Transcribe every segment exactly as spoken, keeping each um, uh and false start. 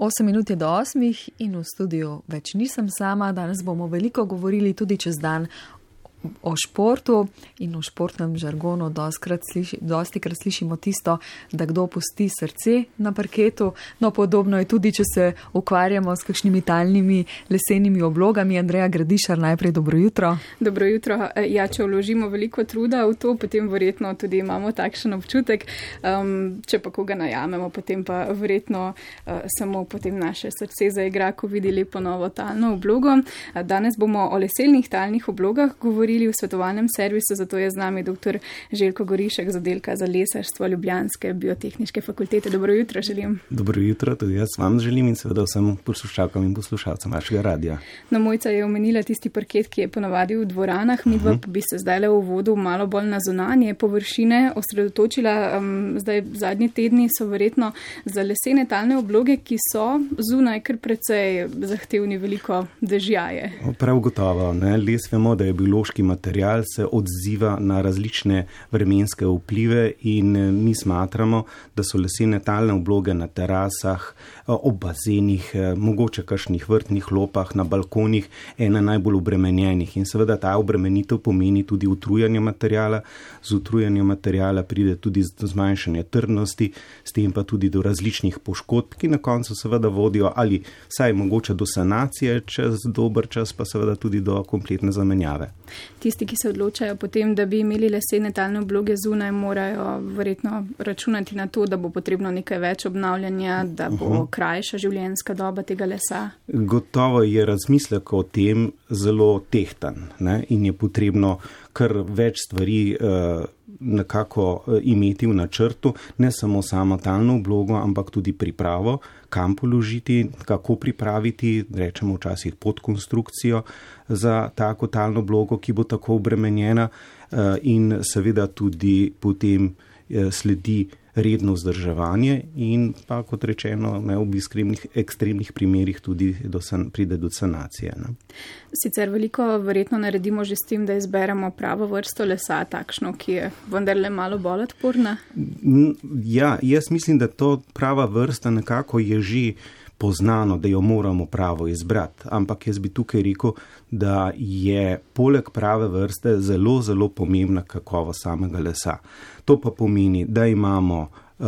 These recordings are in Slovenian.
osem minut je do osmih in v studiu več nisem sama. Danes bomo veliko govorili tudi čez dan o športu in v športnem žargonu dostikrat sliši, dostikrat slišimo tisto, da kdo pusti srce na parketu. No, podobno je tudi, če se ukvarjamo s kakšnimi talnimi lesenimi oblogami. Andreja Gradišar, najprej dobro jutro. Dobro jutro. Ja, če vložimo veliko truda v to, potem verjetno tudi imamo takšen občutek. Um, če pa koga najamemo, potem pa verjetno uh, samo potem naše srce zaigra, ko vidi lepo novo talno oblogo. Danes bomo o lesenih talnih oblogah govorili v svetovalnem servisu, zato je z nami dr. Željko Gorišek z oddelka za lesarstvo Ljubljanske biotehniške fakultete. Dobro jutro želim. Dobro jutro, tudi jaz vam želim in seveda vsem poslušalkam in poslušalcem vašega radija. No, Mojca je omenila tisti parket, ki je ponavadi v dvoranah, midva pa bi se zdaj le v uvodu malo bolj na zunanje površine osredotočila. Um, zdaj zadnji tedni so verjetno za lesene talne obloge, ki so zunaj kar precej zahtevni, veliko dežjaje. Prav gotovo, ne? Les vemo, da je biološki material, se odziva na različne vremenske vplive in mi smatramo, da so lesene talne obloge na terasah, ob bazenih, mogoče kakšnih vrtnih lopah, na balkonih, ena najbolj obremenjenih. In seveda ta obremenitev pomeni tudi utrujanje materijala. Z utrujanjem materijala pride tudi do zmanjšanja trdnosti, s tem pa tudi do različnih poškodb, ki na koncu seveda vodijo ali vsaj mogoče do sanacije, čez dober čas pa seveda tudi do kompletne zamenjave. Tisti, ki se odločajo potem, da bi imeli lesene talne obloge zunaj, morajo verjetno računati na to, da bo potrebno nekaj več obnavljanja, da bo uh-huh. krajša življenjska doba tega lesa. Gotovo je razmislek o tem zelo tehtan, ne? In je potrebno kar več stvari uh, nekako uh, imeti v načrtu, ne samo samo talno oblogo, ampak tudi pripravo, kam položiti, kako pripraviti, rečemo včasih podkonstrukcijo za tako talno oblogo, ki bo tako obremenjena uh, in seveda tudi potem uh, sledi redno vzdrževanje in pa, kot rečeno, ne, v ekstremnih, ekstremnih primerih tudi do san, pride do sanacije. Ne. Sicer veliko verjetno naredimo že s tem, da izberemo pravo vrsto lesa, takšno, ki je vendarle malo bolj odporna. Ja, jaz mislim, da to prava vrsta nekako je že poznano, da jo moramo pravo izbrati. Ampak jaz bi tukaj rekel, da je poleg prave vrste zelo, zelo pomembna kakovost samega lesa. To pa pomeni, da imamo uh,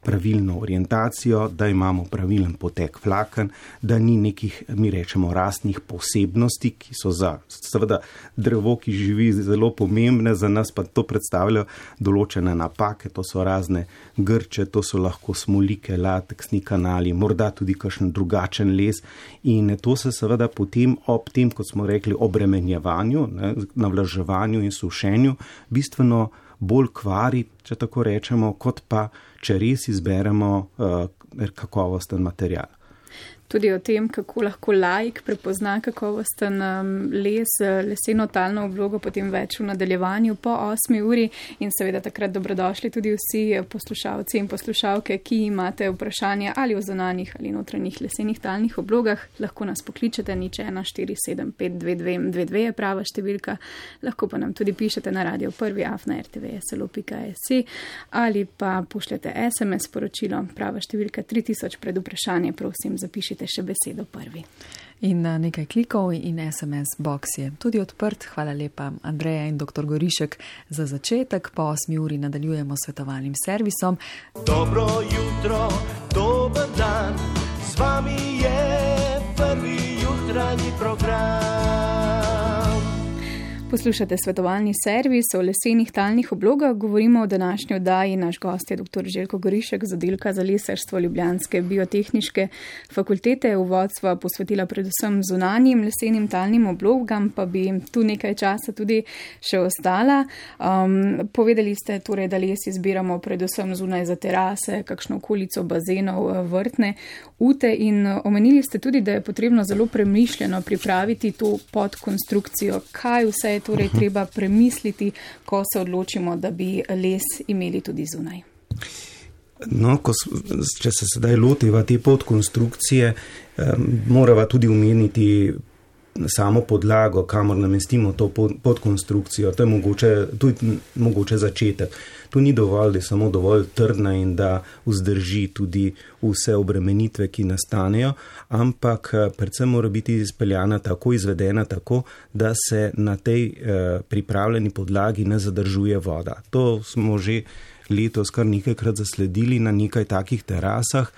pravilno orientacijo, da imamo pravilen potek vlaken, da ni nekih, mi rečemo, rastnih posebnosti, ki so za seveda drevo, ki živi, zelo pomembne, za nas pa to predstavljajo določene napake, to so razne grče, to so lahko smolike, lateksni kanali, morda tudi kakšen drugačen les in to se seveda potem ob tem, kot smo rekli, obremenjevanju, ne, navlaževanju in sušenju bistveno bolj kvari, če tako rečemo, kot pa, če res izberemo uh, kakovosten material. Tudi o tem, kako lahko laik prepozna kakovosten les, leseno talno oblogo, potem več v nadaljevanju po osmi uri in seveda takrat dobrodošli tudi vsi poslušalci in poslušalke, ki imate vprašanja ali o zunanjih ali notranjih lesenih talnih oblogah. Lahko nas pokličete, nič ena štiri sedem pet dve dve dve dve je prava številka, lahko pa nam tudi pišete na radio prvi afna er te ve es el o pika es ali pa pošljete es em es sporočilo, prava številka tri tisoč pred vprašanje, prosim, zapišite še besedo prvi. In nekaj klikov in es em es box je tudi odprt. Hvala lepa, Andreja in doktor Gorišek, za začetek. Po osmi uri nadaljujemo s svetovalnim servisom. Dobro jutro, dober dan, z vami je prvi jutranji program. Poslušate svetovalni servis o lesenih talnih oblogah. Govorimo o današnji oddaji. Naš gost je dr. Željko Gorišek z oddelka za lesarstvo Ljubljanske biotehniške fakultete. Uvod sva posvetila predvsem zunanjim lesenim talnim oblogam, pa bi tu nekaj časa tudi še ostala. Um, povedali ste torej, da les izbiramo predvsem zunaj za terase, kakšno okolico bazenov, vrtne ute in omenili ste tudi, da je potrebno zelo premišljeno pripraviti to podkonstrukcijo. Kaj vse je torej treba premisliti, ko se odločimo, da bi les imeli tudi zunaj? No, ko, če se sedaj lotiva te podkonstrukcije, um, morava tudi omeniti samo podlago, kamor namestimo to podkonstrukcijo, to je mogoče, tudi mogoče začetek. Tu ni dovolj, da je samo dovolj trdna in da vzdrži tudi vse obremenitve, ki nastanejo, ampak predvsem mora biti izpeljana tako, izvedena tako, da se na tej eh, pripravljeni podlagi ne zadržuje voda. To smo že letos kar nekajkrat zasledili na nekaj takih terasah,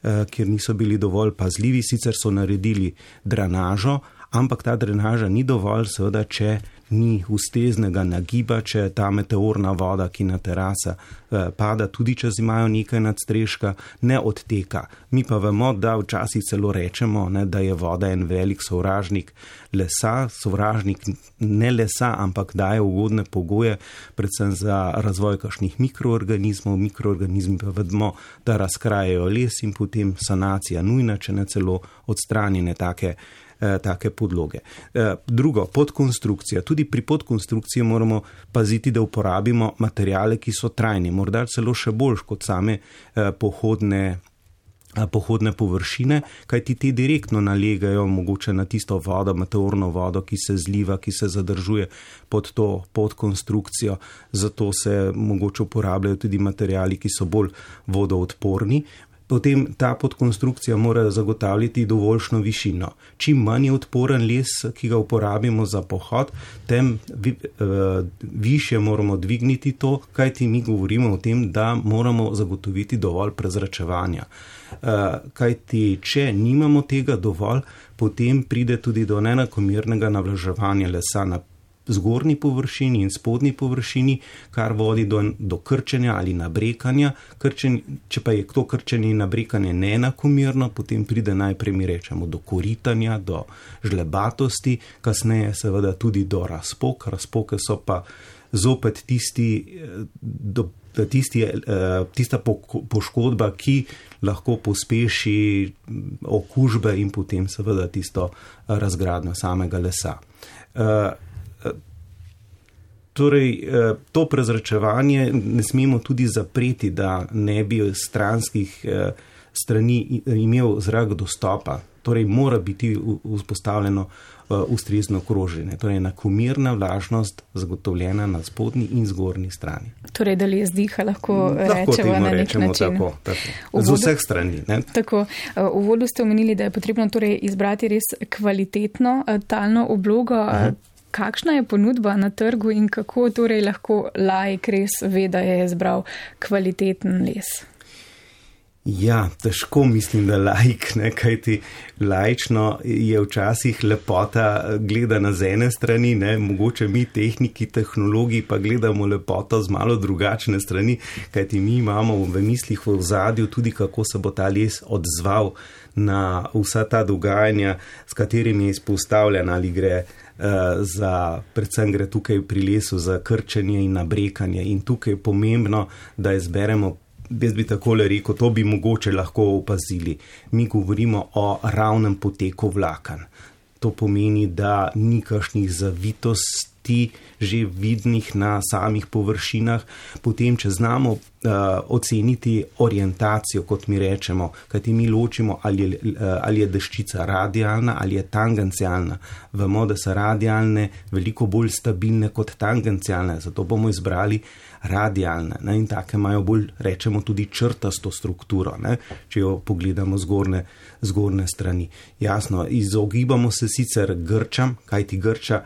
eh, kjer niso bili dovolj pazljivi, sicer so naredili drenažo, ampak ta drenaža ni dovolj, seveda, če ni ustreznega nagiba, če ta meteorna voda, ki na terasa eh, pada, tudi če imajo nekaj nadstreška, ne odteka. Mi pa vemo, da včasih celo rečemo, ne, da je voda en velik sovražnik lesa, sovražnik ne lesa, ampak daje ugodne pogoje, predvsem za razvoj kakšnih mikroorganizmov. Mikroorganizmi pa vedemo, da razkrajajo les in potem sanacija nujna, če ne celo odstranjene take take podloge. Drugo, podkonstrukcija. Tudi pri podkonstrukciji moramo paziti, da uporabimo materijale, ki so trajni, morda celo še bolj kot same pohodne, pohodne površine, kajti ti direktno nalegajo mogoče na tisto vodo, meteorno vodo, ki se zliva, ki se zadržuje pod to podkonstrukcijo. Zato se mogoče uporabljajo tudi materijali, ki so bolj vodoodporni. Potem ta podkonstrukcija mora zagotavljati dovoljšno višino. Čim manj je odporen les, ki ga uporabimo za pohod, tem vi, uh, više moramo dvigniti to, kajti mi govorimo o tem, da moramo zagotoviti dovolj prezračevanja. Uh, kajti če nimamo tega dovolj, potem pride tudi do neenakomernega navlaževanja lesa na zgornji površini in spodnji površini, kar vodi do, do krčenja ali nabrekanja. Krčen, če pa je to krčenje in nabrekanje neenakomerno, potem pride najprej, mi rečemo, do koritanja, do žlebatosti, kasneje seveda tudi do razpok. Razpoke so pa zopet tisti, do, tisti, tista poškodba, ki lahko pospeši okužbe in potem seveda tisto razgradnjo samega lesa. Torej, to prezračevanje ne smemo tudi zapreti, da ne bi stranskih strani imel zrak dostopa. Torej, mora biti vzpostavljeno ustrezno kroženje. Torej, enakomerna vlažnost zagotovljena na spodnji in zgornji strani. Torej, da les diha, lahko, lahko rečemo na nek način. Tako, tako. Z vseh strani. Ne? Tako. V uvodu ste omenili, da je potrebno torej izbrati res kvalitetno talno oblogo. Uh-huh. Kakšna je ponudba na trgu in kako torej lahko laik res ve, da je izbral kvaliteten les? Ja, težko mislim, da laik, ne, kajti laično je včasih lepota gledana z ene strani, ne, mogoče mi tehniki, tehnologi pa gledamo lepoto z malo drugačne strani, kajti mi imamo v mislih v ozadju tudi, kako se bo ta les odzval na vsa ta dogajanja, s katerimi je izpostavljen, ali gre za, predvsem gre tukaj pri lesu za krčenje in nabrekanje in tukaj je pomembno, da izberemo, jaz bi takole rekel, to bi mogoče lahko opazili. Mi govorimo o ravnem poteku vlaken. To pomeni, da ni kakšnih zavitosti že vidnih na samih površinah. Potem, če znamo uh, oceniti orientacijo, kot mi rečemo, kajti mi ločimo, ali je, uh, ali je deščica radialna ali je tangencialna. Vemo, da so radialne veliko bolj stabilne kot tangencialne, zato bomo izbrali radialne. Ne? In take imajo bolj, rečemo, tudi črtasto strukturo, ne? Če jo pogledamo zgorne, zgorne strani. Jasno, izogibamo se sicer grčam, kajti grča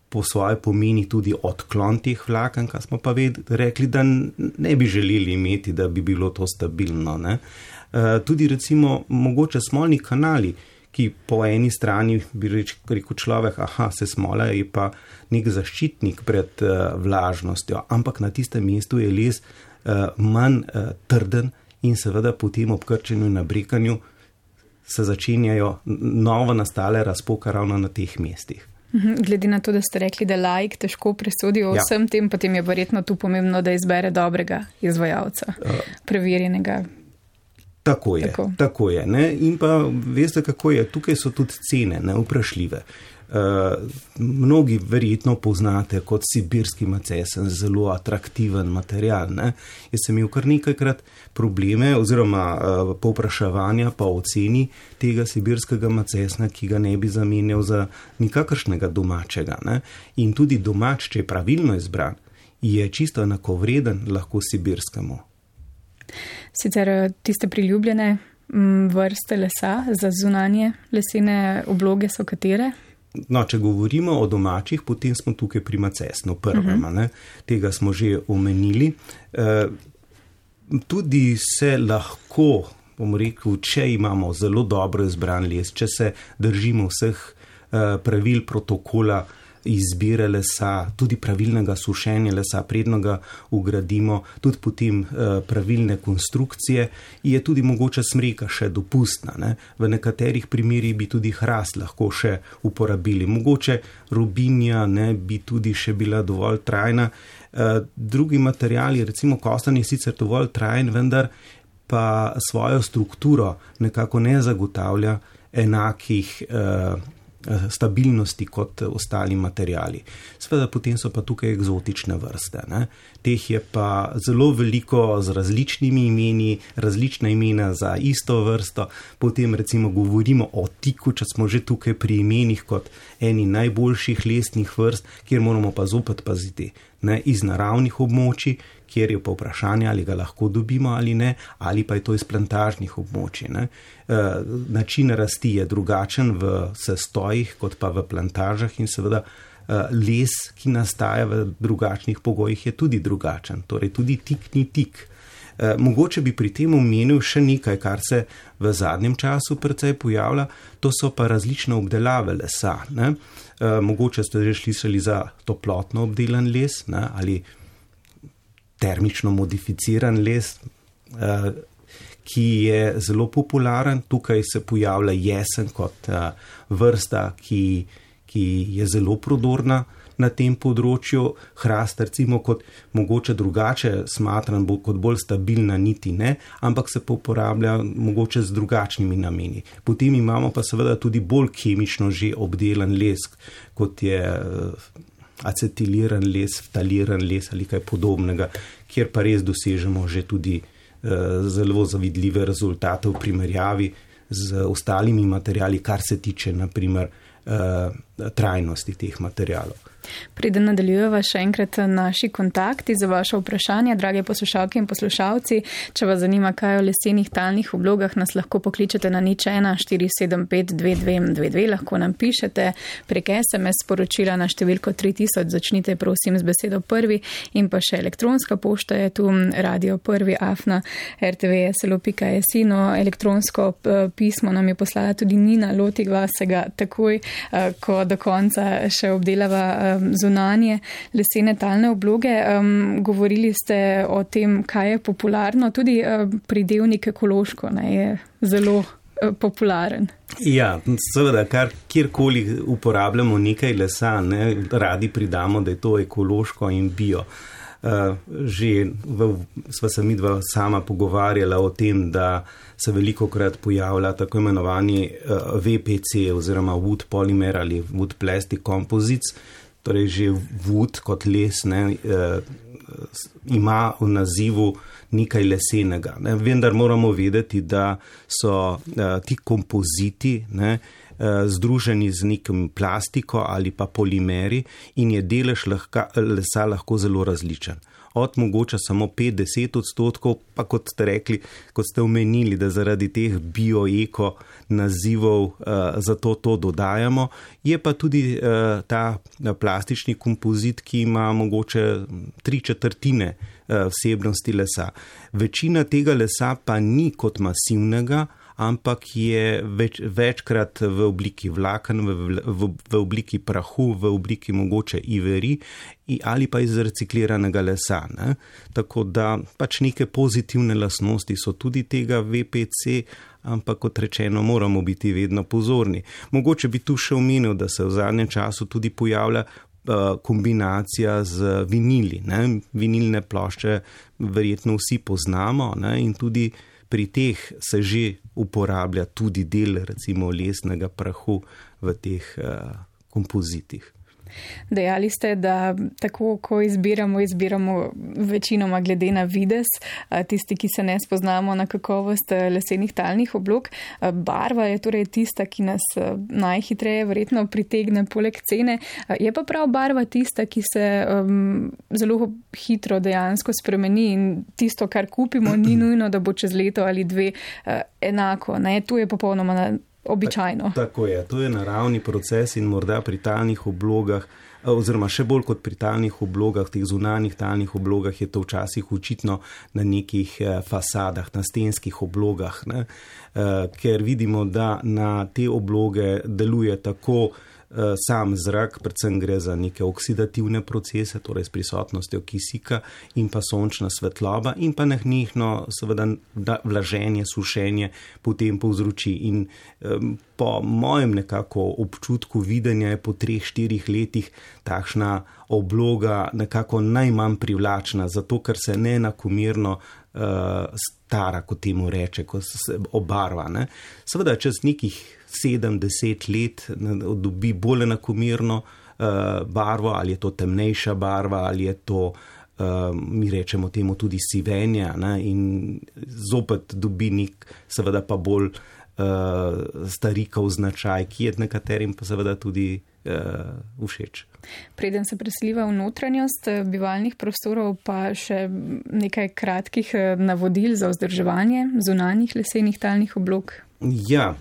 po svoje pomeni tudi odklon teh vlaken, kar smo pa ved, rekli, da ne bi želeli imeti, da bi bilo to stabilno. Ne? E, tudi recimo mogoče smolni kanali, ki po eni strani bi rekel človek, aha, se smola je pa nek zaščitnik pred uh, vlažnostjo, ampak na tistem mestu je les uh, manj uh, trden in seveda po tem obkrčenju in nabrekanju se začenjajo novo nastale razpoke ravno na teh mestih. Glede na to, da ste rekli, da laik težko presodi o vsem ja. tem, potem je verjetno tu pomembno, da izbere dobrega izvajalca, uh, preverjenega. Tako je, tako, tako je. Ne? In pa veste, kako je, tukaj so tudi cene, ne, vprašljive. Uh, mnogi verjetno poznate kot sibirski macesen, zelo atraktiven material. Ne? Jaz sem imel kar nekajkrat probleme oziroma uh, povpraševanja pa oceni tega sibirskega macesna, ki ga ne bi zamenjal za nikakršnega domačega. Ne? In tudi domač, če je pravilno izbran, je čisto enakovreden lahko sibirskemu. Sicer tiste priljubljene vrste lesa za zunanje lesene obloge so katere? No, če govorimo o domačih, potem smo tukaj pri macesnu prvem, uh-huh. Tega smo že omenili. E, tudi se lahko, bom rekel, če imamo zelo dobro izbran les, če se držimo vseh e, pravil protokola izbire lesa, tudi pravilnega sušenja lesa, predno ga ugradimo, tudi potem eh, pravilne konstrukcije, je tudi mogoče smreka še dopustna. Ne? V nekaterih primerih bi tudi hrast lahko še uporabili. Mogoče robinja ne bi tudi še bila dovolj trajna. Eh, drugi materiali, recimo kostan je sicer dovolj trajen, vendar pa svojo strukturo nekako ne zagotavlja enakih eh, stabilnosti kot ostali materijali. Seveda potem so pa tukaj eksotične vrste. Ne? Teh je pa zelo veliko z različnimi imeni, različna imena za isto vrsto. Potem recimo govorimo o tiku, če smo že tukaj pri imenih kot eni najboljših lesnih vrst, kjer moramo pa zopet paziti. Ne? Iz naravnih območij, kjer je pa vprašanje, ali ga lahko dobimo ali ne, ali pa je to iz plantažnih območij. Ne? E, način rasti je drugačen v sestojih kot pa v plantažah in seveda e, les, ki nastaja v drugačnih pogojih, je tudi drugačen. Torej tudi tik ni tik. E, mogoče bi pri tem omenil še nekaj, kar se v zadnjem času precej pojavlja, to so pa različne obdelave lesa. Ne? E, mogoče ste že slišali za toplotno obdelan les, ne? Ali termično modificiran les, ki je zelo popularen. Tukaj se pojavlja jesen kot vrsta, ki, ki je zelo prodorna na tem področju. Hrast recimo kot mogoče drugače smatran, bo kot bolj stabilna niti ne, ampak se pa uporablja mogoče z drugačnimi nameni. Potem imamo pa seveda tudi bolj kemično že obdelan les, kot je acetiliran les, ftaliran les ali kaj podobnega, kjer pa res dosežemo že tudi uh, zelo zavidljive rezultate v primerjavi z ostalimi materijali, kar se tiče naprimer uh, trajnosti teh materijalov. Preden nadaljujeva še enkrat naši kontakti za vaše vprašanja, drage poslušalke in poslušalci. Če vas zanima, kaj o lesenih talnih oblogah, nas lahko pokličete na nič ena štiri sedem pet dve dve dve dve, lahko nam pišete prek es em es sporočila na številko tri tisoč, začnite prosim z besedo prvi, in pa še elektronska pošta je tu, radio prvi afna er te ve es el o pika es i. No, elektronsko pismo nam je poslala tudi Nina, lotiva se ga takoj, ko do konca še obdelava zunanje lesene talne obloge. Um, govorili ste o tem, kaj je popularno, tudi um, pridevnik ekološko ne, je zelo uh, popularen. Ja, seveda, kar kjerkoli uporabljamo nekaj lesa, ne, radi pridamo, da je to ekološko in bio. Uh, že v, sva se midva sama pogovarjala o tem, da se veliko krat pojavlja tako imenovani uh, ve pe ce oziroma wood polymer ali wood plastic composites. Torej že wood kot les ne, eh, ima v nazivu nekaj lesenega. Ne. Vendar moramo vedeti, da so eh, ti kompoziti ne, eh, združeni z nekim plastiko ali pa polimeri in je delež lahka, lesa lahko zelo različen. Od mogoče samo pet do deset odstotkov, pa kot ste rekli, kot ste omenili, da zaradi teh bio-eko nazivov uh, zato to dodajamo, je pa tudi uh, ta plastični kompozit, ki ima mogoče tri četrtine uh, vsebnosti lesa. Večina tega lesa pa ni kot masivnega, ampak je več, večkrat v obliki vlaken, v, v, v obliki prahu, v obliki mogoče iveri ali pa iz recikliranega lesa. Ne? Tako da pač neke pozitivne lastnosti so tudi tega ve pe ce, ampak kot rečeno moramo biti vedno pozorni. Mogoče bi tu še omenil, da se v zadnjem času tudi pojavlja kombinacija z vinili. Ne? Vinilne plošče verjetno vsi poznamo, ne? In tudi pri teh se že uporablja tudi del recimo lesnega prahu v teh uh, kompozitih. Dejali ste, da tako, ko izbiramo, izbiramo večinoma glede na videz, tisti, ki se ne spoznamo na kakovost lesenih talnih oblog. Barva je torej tista, ki nas najhitreje verjetno pritegne poleg cene. Je pa prav barva tista, ki se um, zelo hitro dejansko spremeni in tisto, kar kupimo, ni nujno, da bo čez leto ali dve uh, enako. Ne? Tu je popolnoma na običajno. Tako je, to je naravni proces in morda pri talnih oblogah, oziroma še bolj kot pri talnih oblogah, teh zunanjih talnih oblogah je to včasih očitno na nekih fasadah, na stenskih oblogah, ne? Ker vidimo, da na te obloge deluje tako sam zrak, predvsem gre za neke oksidativne procese, torej s prisotnostjo kisika in pa sončna svetloba in pa nenehno seveda vlaženje, sušenje potem povzroči. In um, po mojem nekako občutku videnja je po treh, štirih letih takšna obloga nekako najmanj privlačna, zato ker se neenakomerno uh, stara, kot temu reče, ko se obarva. Ne? Seveda čez nekih sedem, deset let dobi bolj enakomerno uh, barvo, ali je to temnejša barva, ali je to, uh, mi rečemo temu tudi sivenje, ne? In zopet dobi nek, seveda pa bolj uh, starikov značaj, ki je nekaterim pa seveda tudi uh, všeč. Preden se preseliva v notranjost bivalnih prostorov, pa še nekaj kratkih navodil za vzdrževanje zunanjih lesenih talnih oblog. Ja,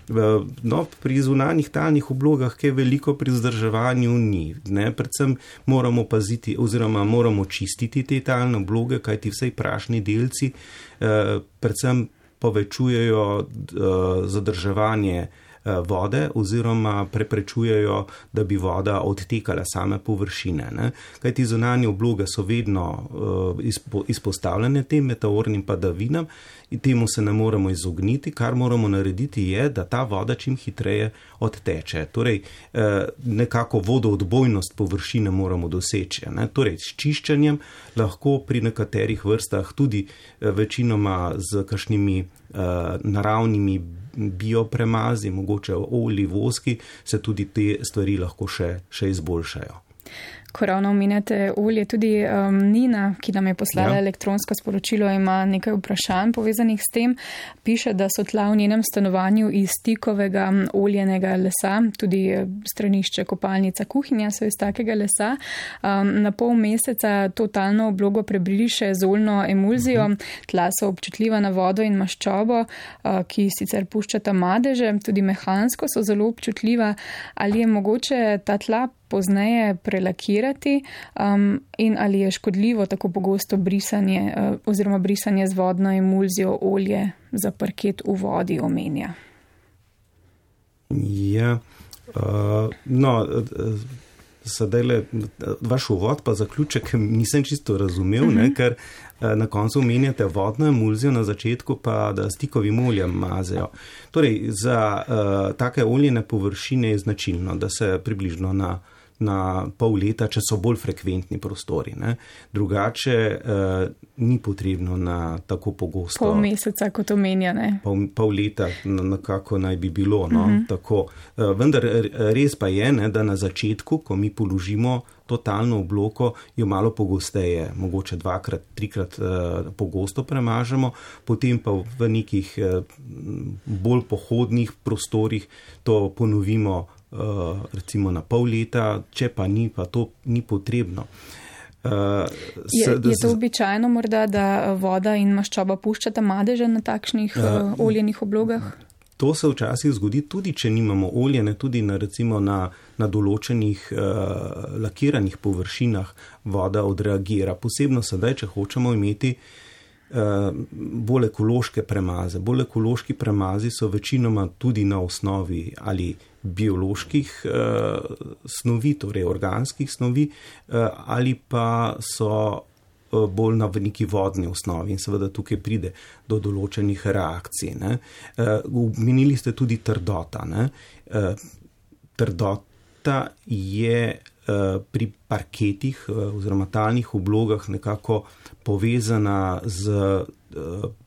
no, pri zunanjih talnih oblogah, kaj veliko pri vzdrževanju ni. Ne? Predvsem moramo paziti oziroma moramo čistiti te talne obloge, kajti vsej prašni delci eh, predvsem povečujejo eh, zadrževanje vode oziroma preprečujejo, da bi voda odtekala same površine. Ne? Kajti zunanje obloge so vedno uh, izpo, izpostavljene tem meteornim padavinam in temu se ne moremo izogniti. Kar moramo narediti je, da ta voda čim hitreje odteče. Torej, uh, nekako vodoodbojnost površine moramo doseči. Ne? Torej, s čiščenjem lahko pri nekaterih vrstah tudi uh, večinoma z kakšnimi uh, naravnimi biopremazi, mogoče olji, voski, se tudi te stvari lahko še, še izboljšajo. Ko ravno omenjate olje, tudi um, Nina, ki nam je poslala ja. elektronsko sporočilo, ima nekaj vprašanj povezanih s tem. Piše, da so tla v njenem stanovanju iz tikovega oljenega lesa, tudi stranišče, kopalnica, kuhinja so iz takega lesa. Um, na pol meseca totalno oblogo prebriše z oljno emulzijo. Tla so občutljiva na vodo in maščobo, uh, ki sicer puščata madeže, tudi mehansko so zelo občutljiva. Ali je mogoče ta tla pozneje prelakirati um, in ali je škodljivo tako pogosto brisanje uh, oziroma brisanje z vodno emulzijo olje za parket v vodi omenja? Ja, uh, no, uh, sedaj le vaš uvod pa zaključek nisem čisto razumel, uh-huh. ne, ker uh, na koncu omenjate vodno emulzijo, na začetku pa da s tikovim oljem mazejo. Torej, za uh, take oljene površine je značilno, da se približno na na pol leta, če so bolj frekventni prostori. Ne. Drugače eh, ni potrebno na tako pogosto. Pol meseca, kot omenja, ne? Pol, pol leta nekako naj bi bilo. No, uh-huh. tako. Eh, vendar res pa je, ne, da na začetku, ko mi položimo totalno obloko, jo malo pogosteje, mogoče dvakrat, trikrat eh, pogosto premažemo, potem pa v nekih eh, bolj pohodnih prostorih to ponovimo Uh, recimo na pol leta, če pa ni, pa to ni potrebno. Uh, je, se, je to običajno morda, da voda in maščoba puščata madeže na takšnih uh, oljenih oblogah? To se včasih zgodi tudi, če nimamo oljene, tudi na, recimo na, na določenih uh, lakiranih površinah voda odreagira. Posebno sedaj, če hočemo imeti uh, bolj ekološke premaze. Bolj ekološki premazi so večinoma tudi na osnovi ali bioloških uh, snovi, torej organskih snovi, uh, ali pa so uh, bolj na neki vodni osnovi in seveda tukaj pride do določenih reakcij. Ne. Uh, menili ste tudi trdota. Ne. Uh, trdota je uh, pri parketih uh, oziroma talnih oblogah nekako povezana z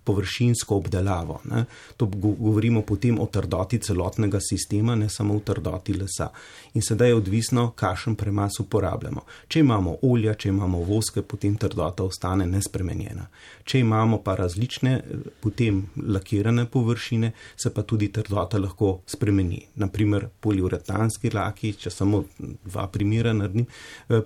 površinsko obdelavo. Ne. To govorimo potem o trdoti celotnega sistema, ne samo o trdoti lesa. In sedaj je odvisno, kakšen premaz uporabljamo. Če imamo olja, če imamo voske, potem trdota ostane nespremenjena. Če imamo pa različne, potem lakirane površine, se pa tudi trdota lahko spremeni. Naprimer, poliuretanski laki, če samo dva primera naredim,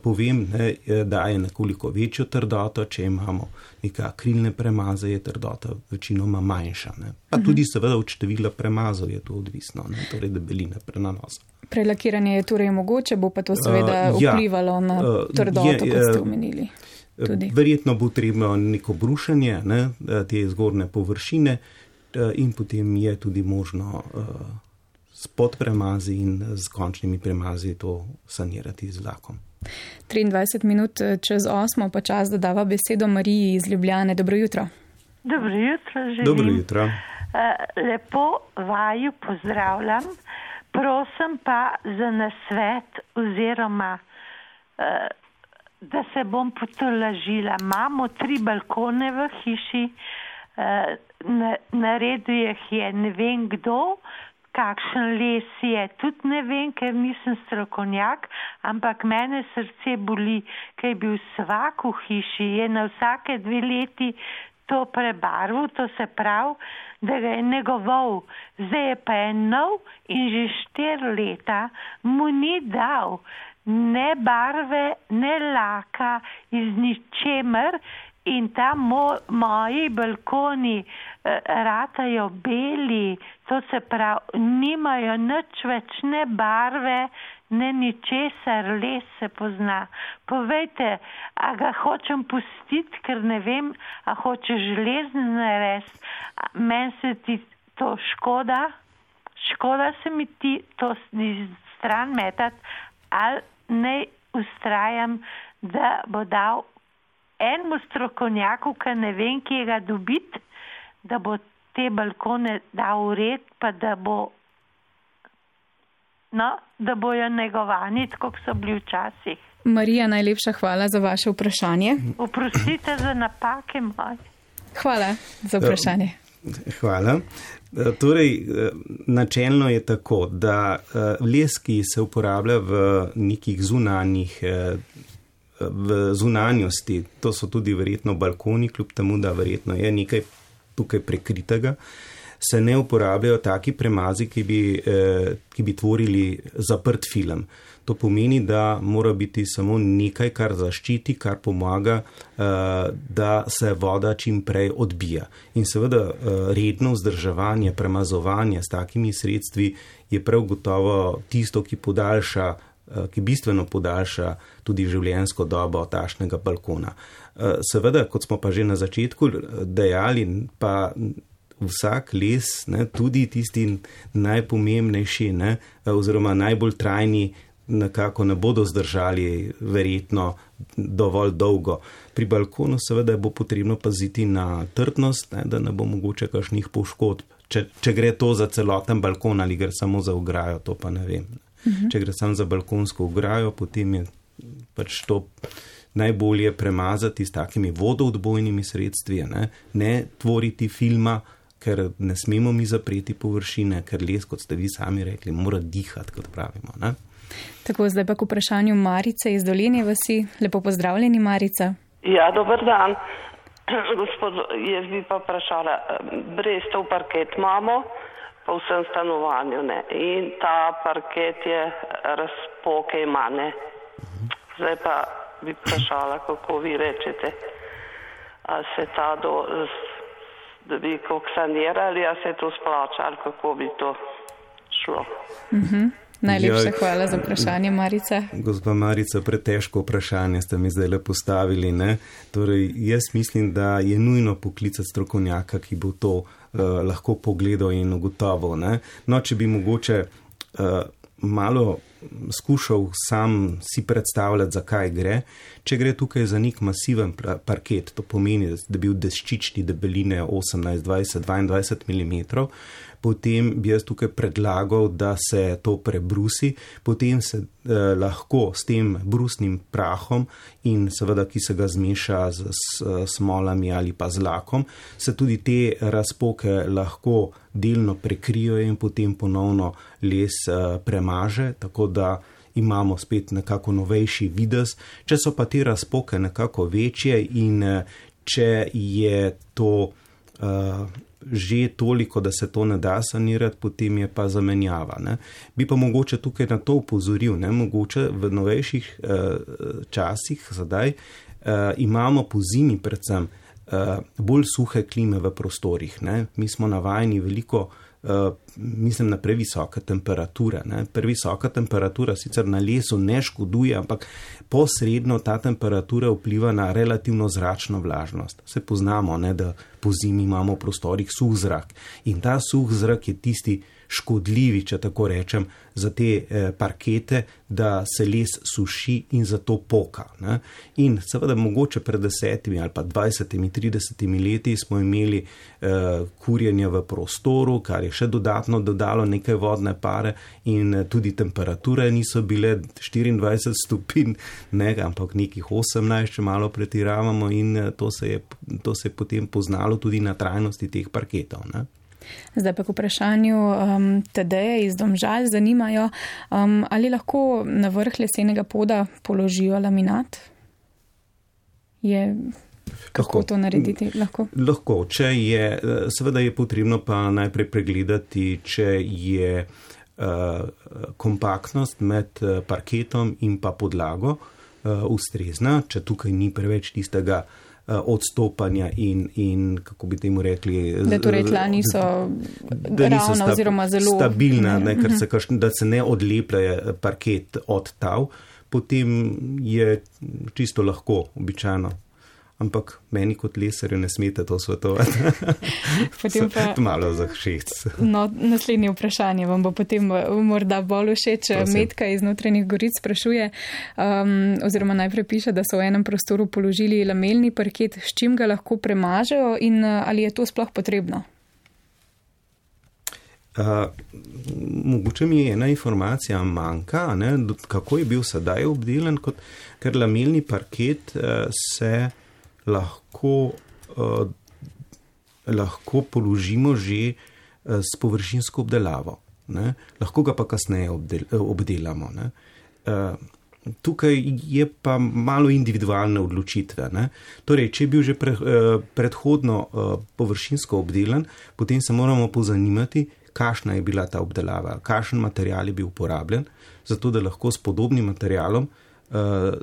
povem, ne, daje nekoliko večjo trdoto, če imamo neke akrilne premaze, je trdota večinoma manjša. Ne. Pa tudi seveda od števila premazov je to odvisno, ne, torej debeline prenanosa. Prelakiranje je torej mogoče, bo pa to seveda uh, vplivalo ja, na trdoto, uh, je, kot ste omenili. Tudi. Verjetno bo treba neko brušenje, ne, te zgornje površine in potem je tudi možno uh, s podpremazi in z končnimi premazi to sanirati z lakom. triindvajset minut čez osmo pa čas dodava besedo Mariji iz Ljubljane. Dobro jutro. Dobro jutro, želim. Dobro jutro. Lepo vaju pozdravljam. Prosim pa za nasvet oziroma, da se bom potolažila. Imamo tri balkone v hiši, naredil jih je ne vem kdo, kakšen les je, tudi ne vem, ker nisem strokovnjak, ampak mene srce boli, ker je bil svak v hiši, je na vsake dve leti to prebarval, to se pravi, da ga je negoval. Zdaj je pa je nov in že štiri leta mu ni dal ne barve, ne laka iz ničemer in tam mo, moji balkoni eh, ratajo beli, to se pravi, nimajo nič več ne barve, ne ničesar, les se pozna. Povejte, a ga hočem pustiti, ker ne vem, a hoče železni narediti, meni se ti to škoda, škoda se mi ti to stran metati, ali ne ustrajam, da bo dal enemu strokovnjaku, ki ne vem, kje ga dobiti, da bo te balkone dal v red, pa da bo No, da bojo negovani, tako so bili včasih. Marija, najlepša hvala za vaše vprašanje. Oprostite za napake moje. Hvala za vprašanje. Hvala. Torej, načelno je tako, da les, ki se uporablja v nekih zunanjih, v zunanjosti, to so tudi verjetno balkoni, kljub temu, da verjetno je nekaj tukaj prekritega, se ne uporabljajo taki premazi, ki bi, eh, ki bi tvorili zaprt film. To pomeni, da mora biti samo nekaj, kar zaščiti, kar pomaga, eh, da se voda čim prej odbija. In seveda eh, redno vzdrževanje, premazovanje s takimi sredstvi je prav gotovo tisto, ki podaljša, eh, ki bistveno podaljša tudi življenjsko dobo tašnega balkona. Eh, seveda, kot smo pa že na začetku dejali, pa vsak les, ne, tudi tisti najpomembnejši, ne, oziroma najbolj trajni, nekako ne bodo zdržali verjetno dovolj dolgo. Pri balkonu seveda bo potrebno paziti na trdnost, ne, da ne bo mogoče kakšnih poškodb. Če, če gre to za celoten balkon ali gre samo za ograjo, to pa ne vem. Uh-huh. Če gre samo za balkonsko ograjo, potem je pač to najbolje premazati s takimi vodoodbojnimi sredstvi, ne, ne tvoriti filma, ker ne smemo mi zapreti površine, ker les, kot ste vi sami rekli, mora dihati, kot pravimo. Ne? Tako, zdaj pa k vprašanju Marice iz Dolenje vasi. Lepo pozdravljeni, Marica. Ja, dober dan. Gospod, jaz bi pa vprašala, brestov parket imamo po vsem stanovanju, ne? In ta parket je razpoke ima, ne? Zdaj pa bi vprašala, kako vi rečete, a se ta do... da bi kako sanirali, a se to splača, ali kako bi to šlo. Uh-huh. Najlepša ja, hvala za vprašanje, Marica. Gospa Marica, pretežko vprašanje ste mi zdaj le postavili. Ne? Torej, jaz mislim, da je nujno poklicati strokovnjaka, ki bo to uh, lahko pogledal in ugotovil. Ne? No, če bi mogoče uh, malo skušal sam si predstavljati, zakaj gre. Če gre tukaj za nek masiven parket, to pomeni, da bi bil deščični debeline osemnajst, dvajset, dvaindvajset milimetrov, potem bi jaz tukaj predlagal, da se to prebrusi, potem se lahko s tem brusnim prahom in seveda, ki se ga zmeša z, z smolami ali pa z lakom, se tudi te razpoke lahko delno prekrijo in potem ponovno les premaže, tako da imamo spet nekako novejši videz. Če so pa te razpoke nekako večje in če je to uh, že toliko, da se to ne da sanirati, potem je pa zamenjava. Ne. Bi pa mogoče tukaj na to upozoril, ne. Mogoče v novejših uh, časih zdaj uh, imamo po zimi predvsem uh, bolj suhe klime v prostorih. Ne. Mi smo navajeni veliko, uh, mislim na previsoke temperature. Ne. Previsoka temperatura sicer na lesu ne škoduje, ampak posredno ta temperatura vpliva na relativno zračno vlažnost. Se poznamo, ne, da po zimi imamo v prostorih suh zrak in ta suh zrak je tisti škodljivi, če tako rečem, za te eh, parkete, da se les suši in zato poka. Ne. In seveda mogoče pred desetimi ali pa dvajsetimi, tridesetimi leti smo imeli eh, kurjenje v prostoru, kar je še dodatno dodalo nekaj vodne pare in eh, tudi temperature niso bile štiriindvajset stopinj, ne, ampak nekih osemnajst, če malo pretiravamo in eh, to, se je, to se je potem poznalo tudi na trajnosti teh parketov. Ne. Zdaj pa k vprašanju um, Tadeje iz Domžal zanimajo, um, ali lahko na vrh lesenega poda položijo laminat? Je, kako lahko to narediti? Lahko? Lahko. Če je, seveda je potrebno pa najprej pregledati, če je uh, kompaktnost med parketom in pa podlago uh, ustrezna, če tukaj ni preveč tistega odstopanja in, in kako bi temu rekli, da torej tla niso, da niso ravna sta, oziroma zelo stabilna, ne, ker se kašn, da se ne odleplja parket od tav, potem je čisto lahko običajno. Ampak meni kot lesarju ne smete to svetovati. Potem pa malo za všeč. No, naslednje vprašanje vam bo potem morda bolj všeč. Metka iz Notranjih Goric sprašuje, um, oziroma najprej piše, da so v enem prostoru položili lamelni parket, s čim ga lahko premažejo in ali je to sploh potrebno? Uh, mogoče mi ena informacija manjka, ne, kako je bil sedaj obdelan, kot, ker lamelni parket uh, se lahko, uh, lahko položimo že uh, s površinsko obdelavo. Ne? Lahko ga pa kasneje obdel, obdelamo. Ne? Uh, tukaj je pa malo individualne odločitve. Ne? Torej, če je bil že pre, uh, predhodno uh, površinsko obdelan, potem se moramo pozanimati, kakšna je bila ta obdelava, kakšen material je bil uporabljen, zato da lahko s podobnim materialom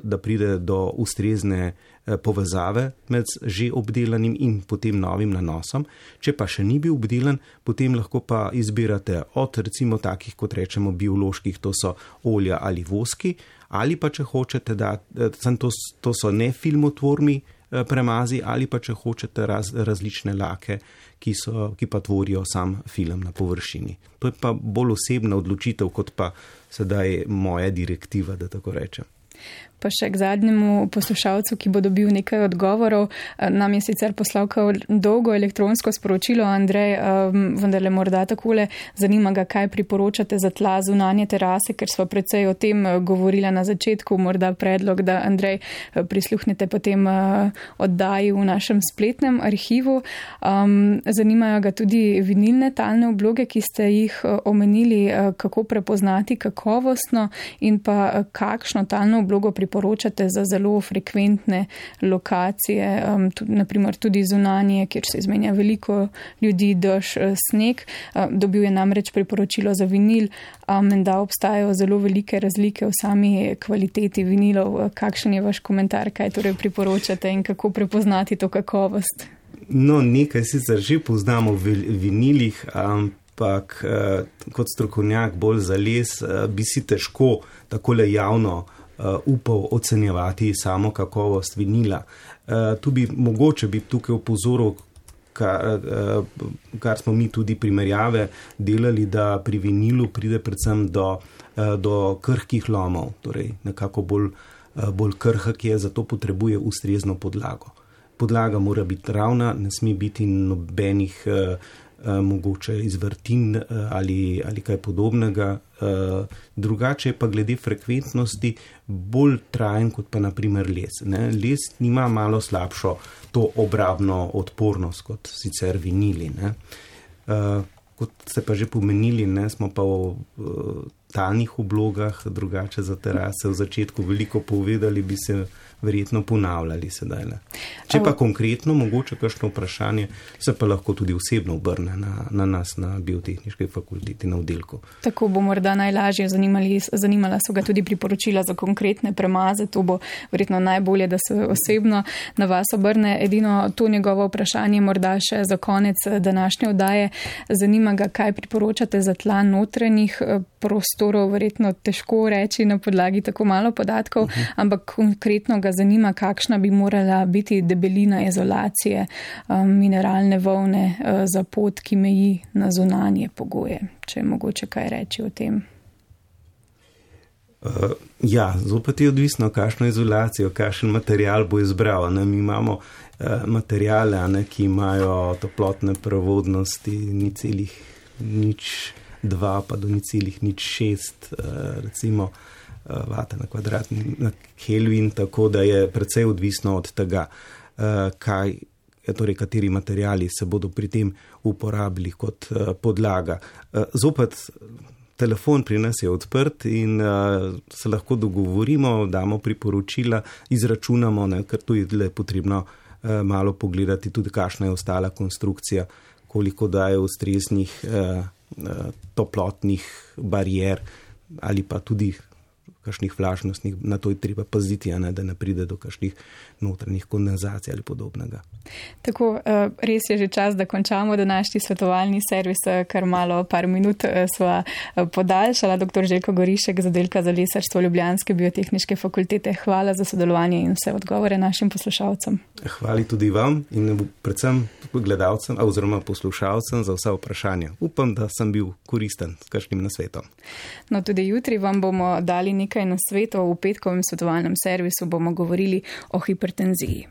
da pride do ustrezne povezave med že obdelanim in potem novim nanosom. Če pa še ni bil obdelan, potem lahko pa izbirate od recimo takih, kot rečemo, bioloških, to so olja ali voski, ali pa če hočete, da to, to so nefilmotvorni premazi, ali pa če hočete raz, različne lake, ki, so, ki pa tvorijo sam film na površini. To je pa bolj osebna odločitev, kot pa sedaj moja direktiva, da tako rečem. Pa še k zadnjemu poslušalcu, ki bo dobil nekaj odgovorov. Nam je sicer poslal dolgo elektronsko sporočilo, Andrej, vendarle morda takole, zanima ga, kaj priporočate za tla zunanje terase, ker smo precej o tem govorili na začetku, morda predlog, da Andrej prisluhnete potem oddaji v našem spletnem arhivu. Zanimajo ga tudi vinilne talne obloge, ki ste jih omenili, kako prepoznati kakovostno in pa kakšno talno oblogo priporočate poročate za zelo frekventne lokacije, um, tudi, naprimer tudi zunanje, kjer se izmenja veliko ljudi, dež, sneg. Um, dobil je namreč priporočilo za vinil, um, da obstajajo zelo velike razlike v sami kvaliteti vinilov. Kakšen je vaš komentar, kaj torej priporočate in kako prepoznati to kakovost? No, nekaj sicer že poznamo v vinilih, ampak uh, kot strokovnjak bolj za les uh, bi si težko takole javno Uh, upal ocenjevati samo kakovost vinila. Uh, tu bi mogoče bi tukaj opozoril, kar, uh, kar smo mi tudi primerjave delali, da pri vinilu pride predvsem do, uh, do krhkih lomov, torej nekako bolj, uh, bolj krhk je, zato potrebuje ustrezno podlago. Podlaga mora biti ravna, ne sme biti nobenih uh, mogoče iz vrtin ali, ali kaj podobnega. Drugače je pa glede frekventnosti bolj trajen kot pa naprimer les. Ne? Les nima malo slabšo to obrabno odpornost kot sicer vinili. Ne? Kot ste pa že pomenili, ne, smo pa v talnih oblogah, drugače za terase v začetku veliko povedali, bi se verjetno ponavljali sedaj. Ne. Če pa konkretno, mogoče kakšno vprašanje, se pa lahko tudi osebno obrne na, na nas, na biotehniški fakulteti, na oddelku. Tako bo morda najlažje, zanimali, zanimala so ga tudi priporočila za konkretne premaze, to bo verjetno najbolje, da se osebno na vas obrne. Edino to njegovo vprašanje morda še za konec današnje oddaje. Zanima ga, kaj priporočate za tla notranjih prostorov, verjetno težko reči na podlagi tako malo podatkov, uh-huh. ampak konkretno ga zanima, kakšna bi morala biti debelina izolacije um, mineralne volne uh, za pot, ki meji na zunanje pogoje. Če je mogoče kaj reči o tem. Uh, ja, zopet je odvisno, kakšno izolacijo, kakšen material bo izbral. Ne? Mi imamo uh, materijale, ne, ki imajo toplotne prevodnosti ni celih nič dva, pa do ni celih nič šest, uh, recimo vate na kvadratni na Kelvin, tako da je precej odvisno od tega, kaj, torej kateri materiali se bodo pri tem uporabili kot podlaga. Zopet, telefon pri nas je odprt in se lahko dogovorimo, damo priporočila, izračunamo, ne, ker tu je le potrebno malo pogledati tudi, kakšna je ostala konstrukcija, koliko daje ustreznih toplotnih barijer ali pa tudi kakšnih vlažnostnih, na to je treba paziti, a ne, da ne pride do kakšnih notranjih kondenzacij ali podobnega. Tako, res je že čas, da končamo današnji svetovalni servis, kar malo, par minut sva podaljšala. Doktor Željko Gorišek z oddelka za lesarstvo Ljubljanske biotehniške fakultete, hvala za sodelovanje in vse odgovore našim poslušalcem. Hvala tudi vam in predvsem gledalcem oziroma poslušalcem za vsa vprašanja. Upam, da sem bil koristen s kakšnim nasvetom. No, tudi jutri vam bomo dali nekaj nasvetov. V petkovem svetovalnem servisu bomo govorili o hipertenziji.